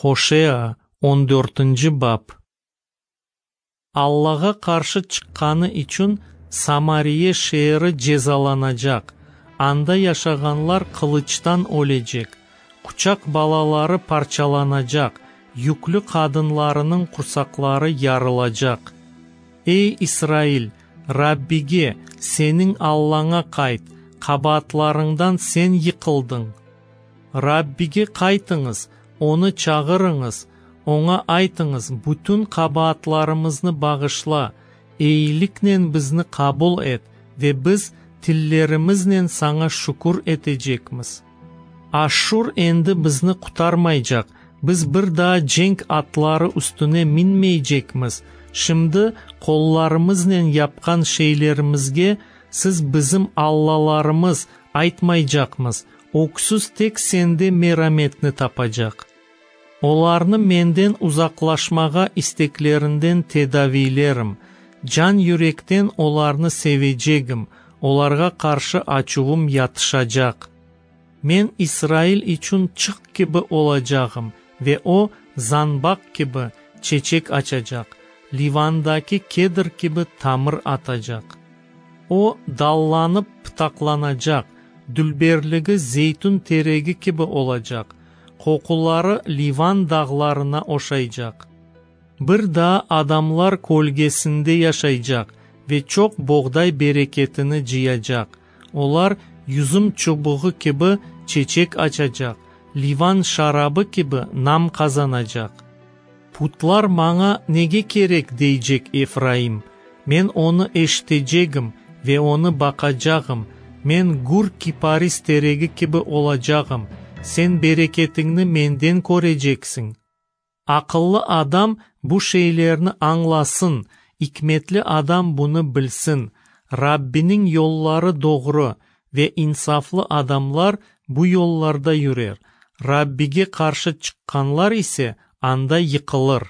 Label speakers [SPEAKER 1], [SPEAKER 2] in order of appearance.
[SPEAKER 1] Hoşea, on dörtünci bap. Allağa qarşı çıqqanı içün Samariye şeeri cezalanacaq, anda yaşağanlar qılıçtan ölecek, quçaq balaları parçalanacaq, yüklü qadınlarınıñ qursaqları yarılacaq. Ey, İsrail, Rabbige, seniñ Allaña qayt, qabaatlarıñdan sen yıqıldıñ. Rabbige qaytıñız, Onı çağırıñız, Oña aytıñız, bütün qabaatlarımıznı bağışla, eyiliknen bizni qabul et, ve biz tillerimiznen Saña şükür etecekmiz. Aşşur endi bizni qurtarmaycaq, biz bir daa cenk atları üstüne minmeycekmiz, şimdi qollarımıznen yapqan şeylerimizge siz bizim allalarımız aytmaycaqmız, öksüz tek sende merametni tapacaq. Olarnı menden uzaqlaşmağa isteklerinden tedaviylerim, can-yürekten olarnı sevecegim, olarğa qarşı açuvım yatışacaq. Men İsrail içün çıq kibi olacağım, ve o, zanbaq kibi, çeçek açacaq, Livandaki kedr kibi tamır atacaq. O, dallanıp pıtaqlanacaq, dülberligi zeytün teregi kibi olacaq, qoquları Livan dağlarına oşaycaq. Bir daa adamlar kölgesinde yaşaycaq ve çoq boğday bereketini cıyacaq. Olar yüzüm çubuğı kibi çeçek açacaq, Livan şarabı kibi nam qazanacaq. Putlar maña nege kerek, deycek Efraim, men onı eşitecegim ve onı baqacağım, men gür kiparis teregi kibi olacağım, sen bereketiñni menden köreceksiñ. Aqıllı adam bu şeylerni añlasın, ikmetli adam bunı bilsin, Rabbiniñ yolları doğru, ve insaflı adamlar bu yollarda yürer, Rabbige qarşı çıqqanlar ise anda yıqılır.